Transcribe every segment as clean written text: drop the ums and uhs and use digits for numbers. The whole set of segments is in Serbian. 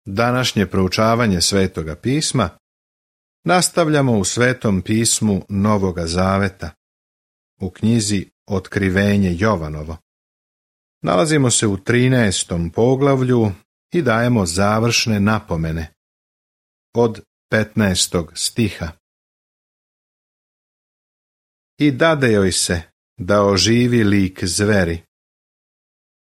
Današnje proučavanje Svetoga pisma nastavljamo u Svetom pismu Novoga Zaveta, u knjizi Otkrivenje Jovanovo. Nalazimo se u 13. poglavlju i dajemo završne napomene od 15. stiha. I dade joj se da oživi lik zveri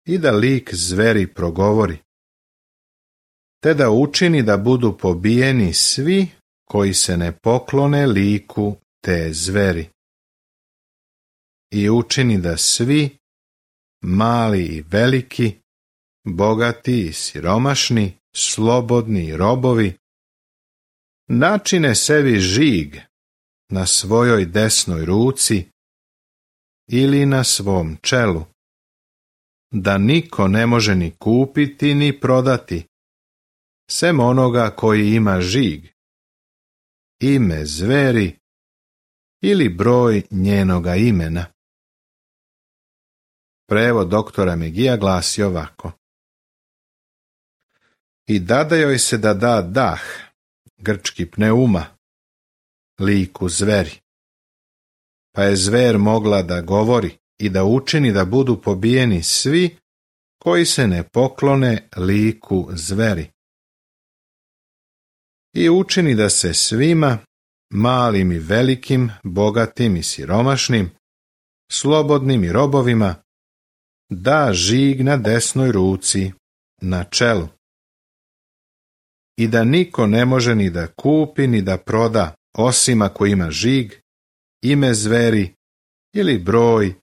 i da lik zveri progovori, te da učini da budu pobijeni svi koji se ne poklone liku te zveri. I učini da svi, mali i veliki, bogati i siromašni, slobodni i robovi, načine sebi žig na svojoj desnoj ruci ili na svom čelu, da niko ne može ni kupiti ni prodati, sem onoga koji ima žig, ime zveri ili broj njenoga imena. Prevod doktora Megija glasi ovako. I dade joj se da da dah, grčki pneuma, liku zveri. Pa je zver mogla da govori i da učini da budu pobijeni svi koji se ne poklone liku zveri. I učini da se svima, malim i velikim, bogatim i siromašnim, slobodnim i robovima, da žig na desnoj ruci, na čelu. I da niko ne može ni da kupi ni da proda, osim ako ima žig, ime zveri ili broj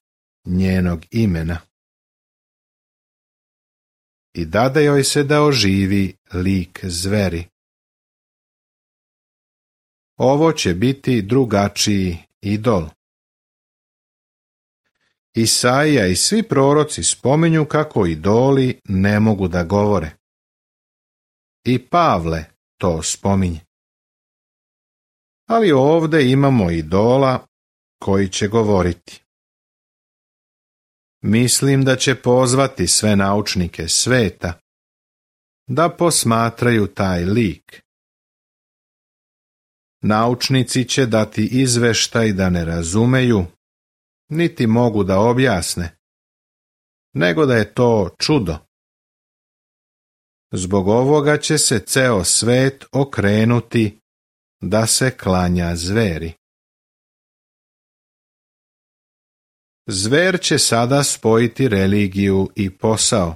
njenog imena. I dade joj se da oživi lik zveri. Ovo će biti drugačiji idol. Isaija i svi proroci spominju kako idoli ne mogu da govore. I Pavle to spominje. Ali ovdje imamo idola koji će govoriti. Mislim da će pozvati sve naučnike sveta da posmatraju taj lik. Naučnici će dati izveštaj da ne razumeju, niti mogu da objasne, nego da je to čudo. Zbog ovoga će se ceo svet okrenuti da se klanja zveri. Zver će sada spojiti religiju i posao,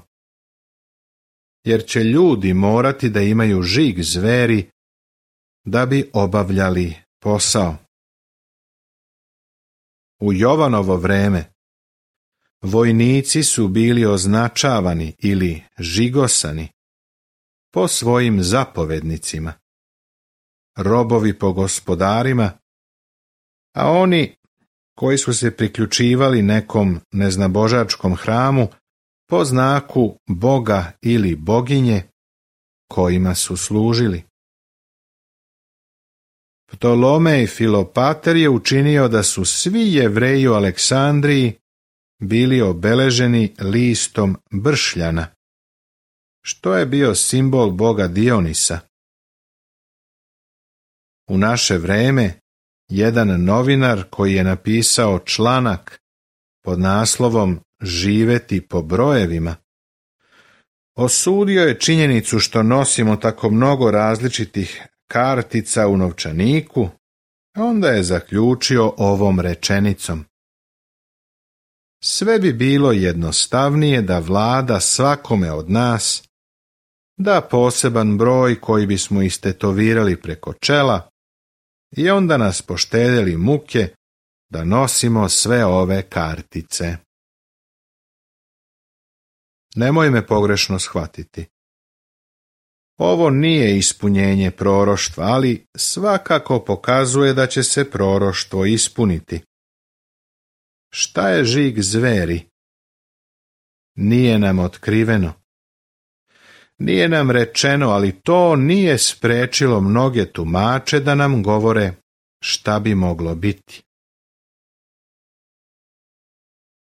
jer će ljudi morati da imaju žig zveri da bi obavljali posao. U Jovanovo vreme vojnici su bili označavani ili žigosani po svojim zapovednicima, robovi po gospodarima, a oni koji su se priključivali nekom neznabožačkom hramu po znaku boga ili boginje kojima su služili. Ptolomej Filopater je učinio da su svi Jevreji u Aleksandriji bili obeleženi listom bršljana, što je bio simbol boga Dionisa. U naše vreme jedan novinar koji je napisao članak pod naslovom Živeti po brojevima, osudio je činjenicu što nosimo tako mnogo različitih kartica u novčaniku, a onda je zaključio ovom rečenicom. Sve bi bilo jednostavnije da vlada svakome od nas da poseban broj koji bismo istetovirali preko čela i onda nas poštedjeli muke da nosimo sve ove kartice. Nemoj me pogrešno shvatiti. Ovo nije ispunjenje proroštva, ali svakako pokazuje da će se proroštvo ispuniti. Šta je žig zveri? Nije nam otkriveno. Nije nam rečeno, ali to nije sprečilo mnoge tumače da nam govore šta bi moglo biti.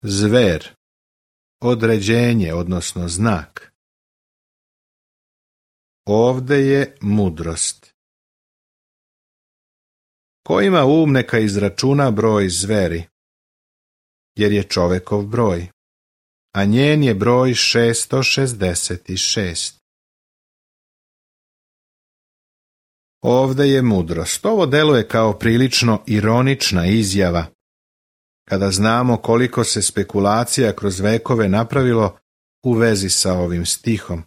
Zver, određenje, odnosno znak. Ovde je mudrost. Ko ima um neka izračuna broj zveri, jer je čovekov broj, a njen je broj 666. Ovde je mudrost. Ovo deluje kao prilično ironična izjava, kada znamo koliko se spekulacija kroz vekove napravilo u vezi sa ovim stihom.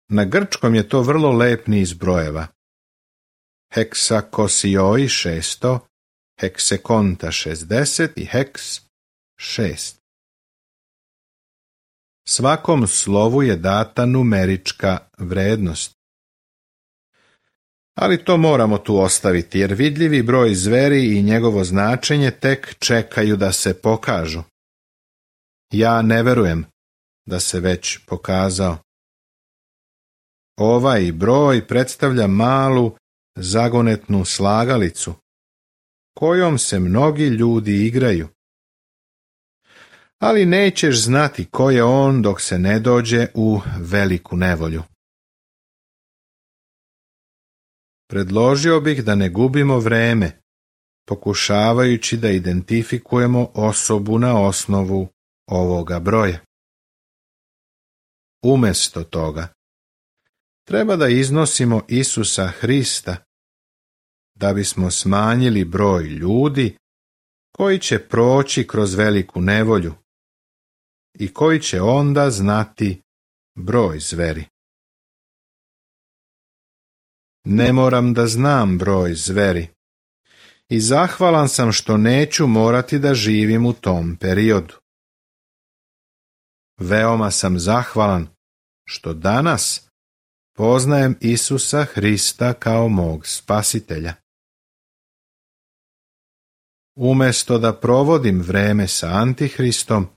Na grčkom je to vrlo lep niz brojeva. Heksakosioi 600, heksekonta 60 i heks 6. Svakom slovu je data numerička vrednost. Ali to moramo tu ostaviti, jer vidljivi broj zveri i njegovo značenje tek čekaju da se pokažu. Ja ne verujem da se već pokazao. Ovaj broj predstavlja malu zagonetnu slagalicu, kojom se mnogi ljudi igraju. Ali nećeš znati ko je on dok se ne dođe u veliku nevolju. Predložio bih da ne gubimo vreme, pokušavajući da identifikujemo osobu na osnovu ovoga broja. Umjesto toga, treba da iznosimo Isusa Hrista, da bismo smanjili broj ljudi koji će proći kroz veliku nevolju i koji će onda znati broj zveri. Ne moram da znam broj zveri i zahvalan sam što neću morati da živim u tom periodu. Veoma sam zahvalan što danas poznajem Isusa Hrista kao mog spasitelja. Umjesto da provodim vreme sa Antihristom,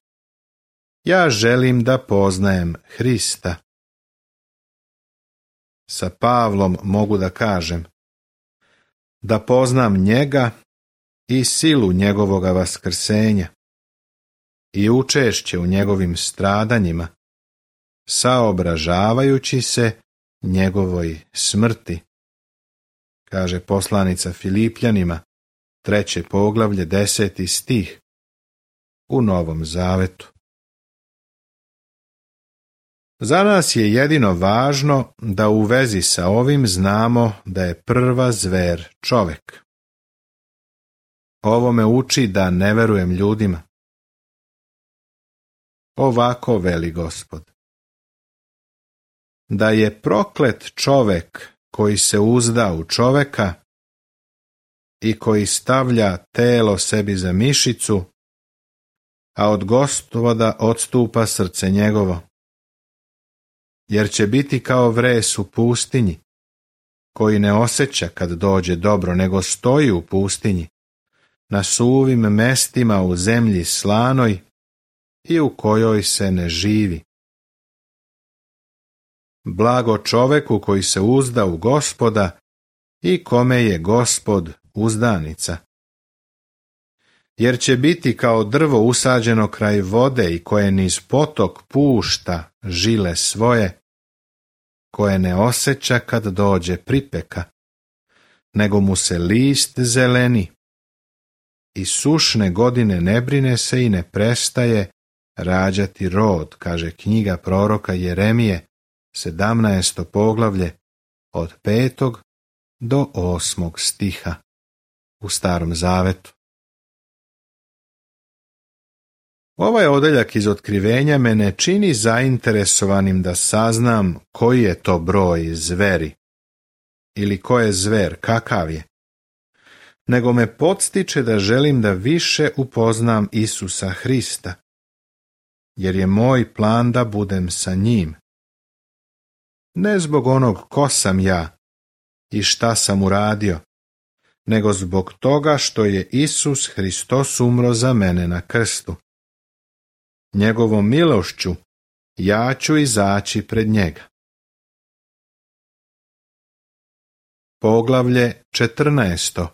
ja želim da poznajem Hrista. Sa Pavlom mogu da kažem da poznam njega i silu njegovoga vaskrsenja i učešće u njegovim stradanjima, saobražavajući se njegovoj smrti, kaže poslanica Filipljanima, 3. poglavlje, 10. stih u Novom Zavetu. Za nas je jedino važno da u vezi sa ovim znamo da je prva zver čovek. Ovo me uči da ne verujem ljudima. Ovako veli Gospod: da je proklet čovek koji se uzda u čoveka i koji stavlja telo sebi za mišicu, a od Gospoda odstupa srce njegovo. Jer će biti kao vres u pustinji, koji ne osjeća kad dođe dobro, nego stoji u pustinji, na suvim mestima u zemlji slanoj i u kojoj se ne živi. Blago čoveku koji se uzda u Gospoda i kome je Gospod uzdanica. Jer će biti kao drvo usađeno kraj vode i koje niz potok pušta žile svoje, koje ne osjeća kad dođe pripeka, nego mu se list zeleni i sušne godine ne brine se i ne prestaje rađati rod, kaže knjiga proroka Jeremije, 17. poglavlje, od 5. do 8. stiha u Starom Zavetu. Ovaj odeljak iz Otkrivenja me ne čini zainteresovanim da saznam koji je to broj zveri ili ko je zver, kakav je, nego me podstiče da želim da više upoznam Isusa Hrista, jer je moj plan da budem sa njim. Ne zbog onog ko sam ja i šta sam uradio, nego zbog toga što je Isus Hristos umro za mene na krstu. Njegovom milošću ja ću izaći pred njega. Poglavlje 14.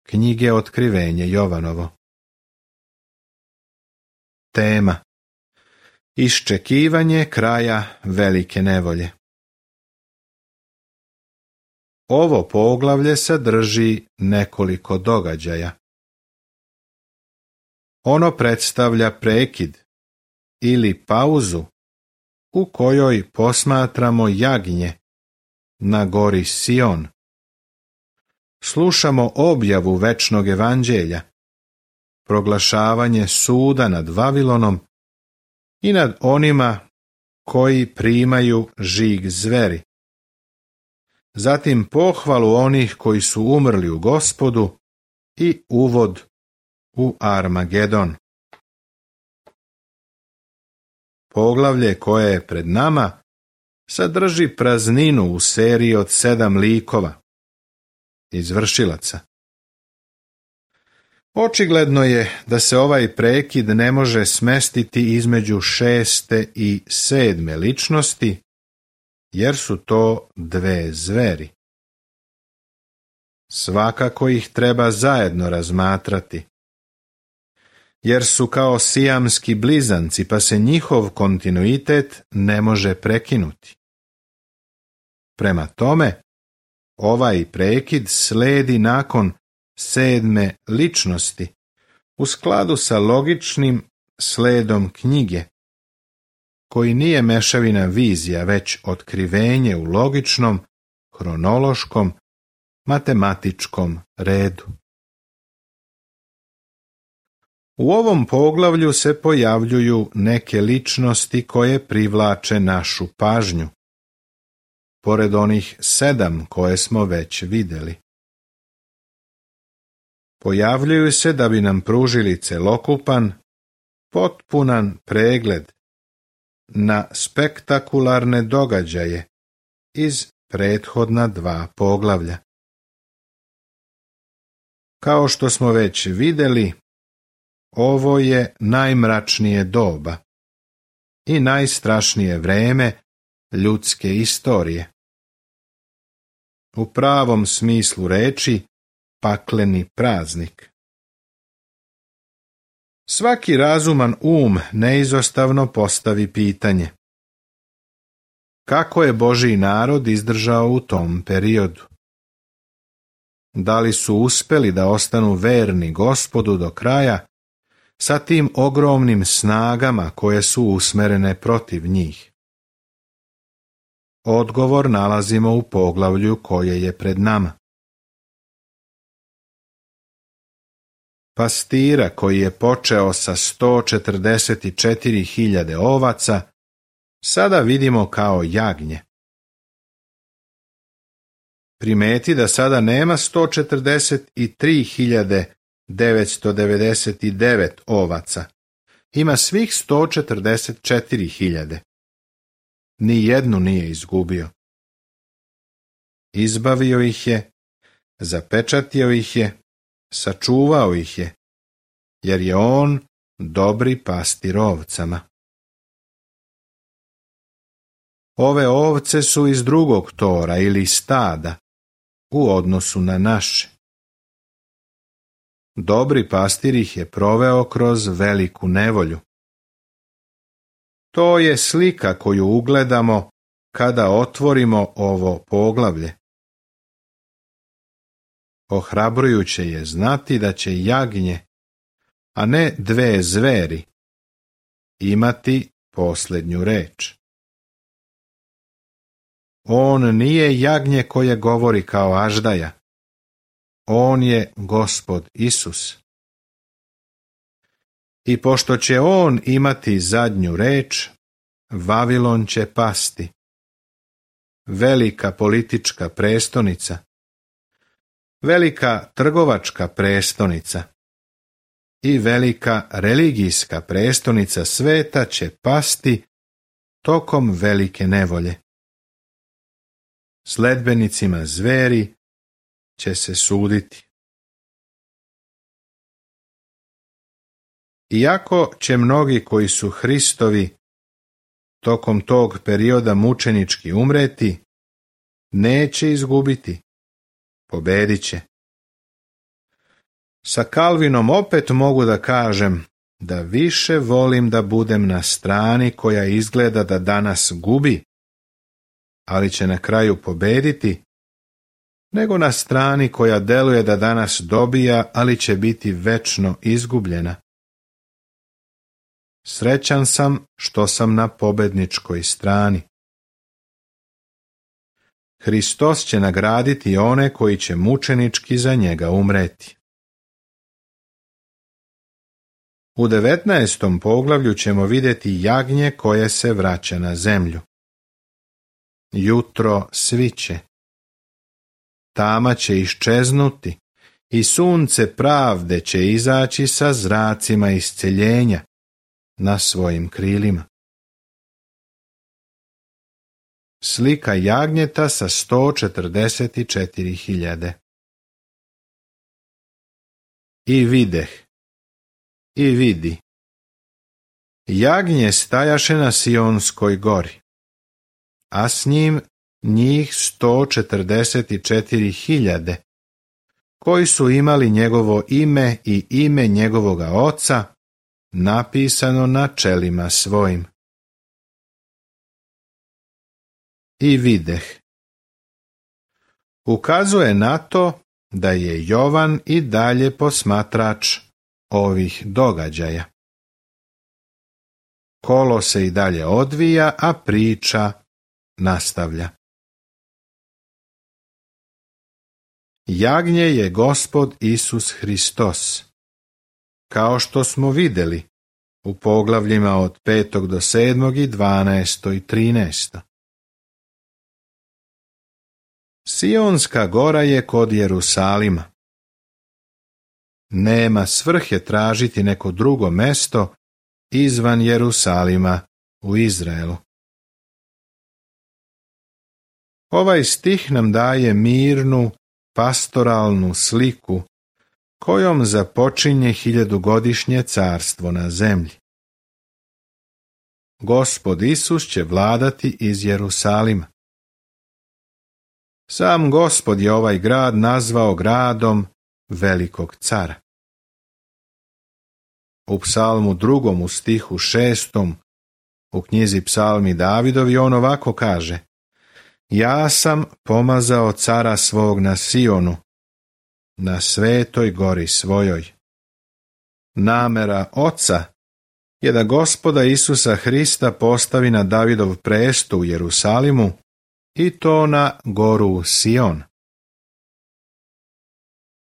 Knjige Otkrivenje Jovanovo. Tema: Iščekivanje kraja velike nevolje. Ovo poglavlje sadrži nekoliko događaja. Ono predstavlja prekid ili pauzu u kojoj posmatramo jagnje na gori Sion. Slušamo objavu večnog evanđelja, proglašavanje suda nad Vavilonom i nad onima koji primaju žig zveri. Zatim pohvalu onih koji su umrli u Gospodu i uvod u Armagedon. Poglavlje koje je pred nama sadrži prazninu u seriji od 7 likova, izvršilaca. Očigledno je da se ovaj prekid ne može smestiti između 6. i 7. ličnosti, jer su to 2 zveri. Svakako ih treba zajedno razmatrati, jer su kao sijamski blizanci, pa se njihov kontinuitet ne može prekinuti. Prema tome, ovaj prekid sledi nakon 7. ličnosti, u skladu sa logičnim sledom knjige, koji nije mešavina vizija, već otkrivenje u logičnom, hronološkom, matematičkom redu. U ovom poglavlju se pojavljuju neke ličnosti koje privlače našu pažnju, pored onih 7 koje smo već vidjeli. Pojavljuju se da bi nam pružili celokupan, potpunan pregled na spektakularne događaje iz prethodna 2 poglavlja. Kao što smo već vidjeli, ovo je najmračnije doba i najstrašnije vreme ljudske istorije. U pravom smislu reči, pakleni praznik. Svaki razuman neizostavno postavi pitanje: kako je Božji narod izdržao u tom periodu? Da li su uspjeli da ostanu verni Gospodu do kraja sa tim ogromnim snagama koje su usmerene protiv njih? Odgovor nalazimo u poglavlju koje je pred nama. Pastira koji je počeo sa 144.000 ovaca, sada vidimo kao jagnje. Primeti da sada nema 143.999 ovaca, ima svih 144.000. Ni jednu nije izgubio. Izbavio ih je, zapečatio ih je, sačuvao ih je, jer je on dobri pastir ovcama. Ove ovce su iz drugog tora ili stada u odnosu na naše. Dobri pastir ih je proveo kroz veliku nevolju. To je slika koju ugledamo kada otvorimo ovo poglavlje. Ohrabrujuće je znati da će jagnje, a ne 2 zveri, imati posljednju reč. On nije jagnje koje govori kao aždaja. On je Gospod Isus. I pošto će on imati zadnju reč, Vavilon će pasti. Velika politička prestonica, velika trgovačka prestonica i velika religijska prestonica sveta će pasti tokom velike nevolje. Sledbenicima zveri će se suditi. Iako će mnogi koji su Hristovi tokom tog perioda mučenički umreti, neće izgubiti, pobedit će. Sa Kalvinom opet mogu da kažem da više volim da budem na strani koja izgleda da danas gubi, ali će na kraju pobediti, nego na strani koja deluje da danas dobija, ali će biti večno izgubljena. Srećan sam što sam na pobedničkoj strani. Hristos će nagraditi one koji će mučenički za njega umreti. U 19. poglavlju ćemo vidjeti jagnje koje se vraća na zemlju. Jutro sviće. Tama će iščeznuti i sunce pravde će izaći sa zracima isceljenja na svojim krilima. Slika jagnjeta sa 144.000. I videh, i vidi. Jagnje stajaše na Sionskoj gori, a s njim njih 144.000, koji su imali njegovo ime i ime njegovoga oca napisano na čelima svojim. I videh. Ukazuje na to da je Jovan i dalje posmatrač ovih događaja. Kolo se i dalje odvija, a priča nastavlja. Jagnje je Gospod Isus Hristos, kao što smo vidjeli u poglavljima od 5. do 7. i 12. i 13. Sionska gora je kod Jerusalima. Nema svrhe tražiti neko drugo mesto izvan Jerusalima u Izraelu. Ovaj stih nam daje mirnu, pastoralnu sliku kojom započinje 1000-godišnje carstvo na zemlji. Gospod Isus će vladati iz Jerusalima. Sam Gospod je ovaj grad nazvao gradom velikog cara. U psalmu 2. u stihu 6. u knjizi Psalmi Davidovi on ovako kaže: Ja sam pomazao cara svog na Sionu, na svetoj gori svojoj. Namera Oca je da Gospoda Isusa Hrista postavi na Davidov presto u Jerusalimu i to na goru Sion.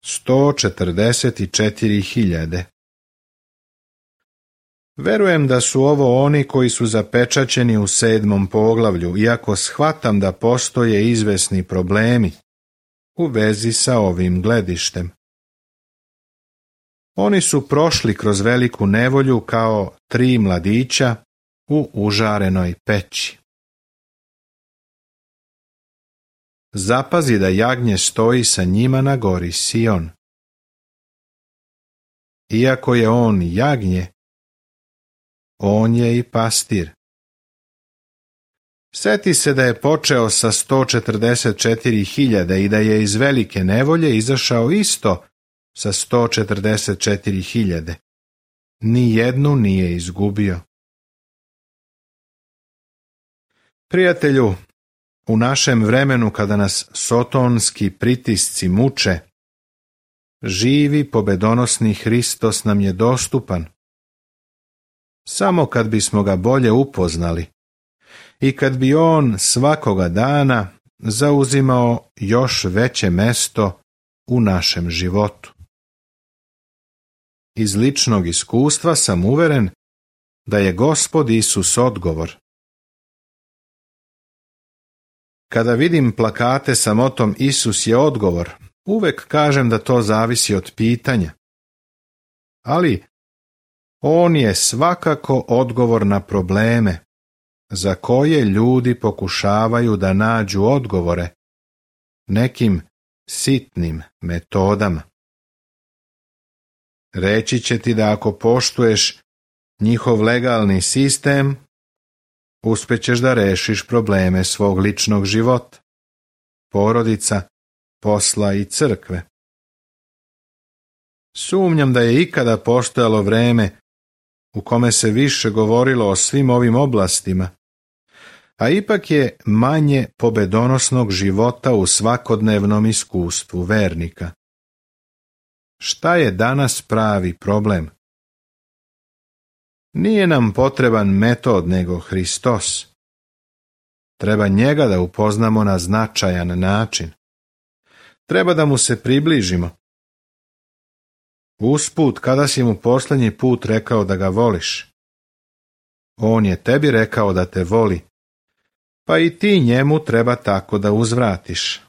144.000. Verujem da su ovo oni koji su zapečaćeni u 7. poglavlju, iako shvatam da postoje izvesni problemi u vezi sa ovim gledištem. Oni su prošli kroz veliku nevolju kao 3 mladića u užarenoj peći. Zapazi da jagnje stoji sa njima na gori Sion. Iako je on jagnje, on je i pastir. Sjeti se da je počeo sa 144.000 i da je iz velike nevolje izašao isto sa 144.000. Nijednu nije izgubio. Prijatelju, u našem vremenu kada nas sotonski pritisci muče, živi pobedonosni Hristos nam je dostupan. Samo kad bismo ga bolje upoznali i kad bi on svakoga dana zauzimao još veće mesto u našem životu. Iz ličnog iskustva sam uveren da je Gospod Isus odgovor. Kada vidim plakate sa motom Isus je odgovor, uvek kažem da to zavisi od pitanja. Ali on je svakako odgovor na probleme za koje ljudi pokušavaju da nađu odgovore nekim sitnim metodama. Reći će ti da ako poštuješ njihov legalni sistem, uspjećeš da rešiš probleme svog ličnog života, porodica, posla i crkve. Sumnjam da je ikada postojalo vreme u kome se više govorilo o svim ovim oblastima, a ipak je manje pobedonosnog života u svakodnevnom iskustvu vernika. Šta je danas pravi problem? Nije nam potreban metod nego Hristos. Treba njega da upoznamo na značajan način. Treba da mu se približimo. Usput, kada si mu posljednji put rekao da ga voliš? On je tebi rekao da te voli, pa i ti njemu treba tako da uzvratiš.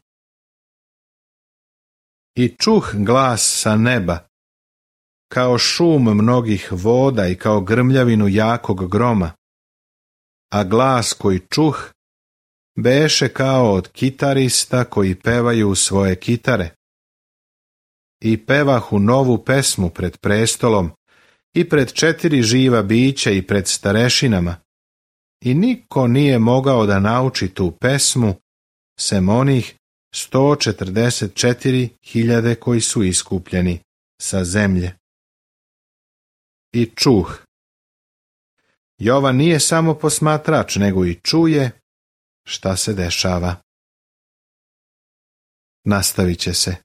I čuh glas sa neba, kao šum mnogih voda i kao grmljavinu jakog groma, a glas koji čuh beše kao od kitarista koji pevaju svoje kitare. I pevahu novu pesmu pred prestolom i pred 4 živa bića i pred starešinama, i niko nije mogao da nauči tu pesmu, sem onih 144.000 koji su iskupljeni sa zemlje. I čuh. Jovan nije samo posmatrač, nego i čuje šta se dešava. Nastavit će se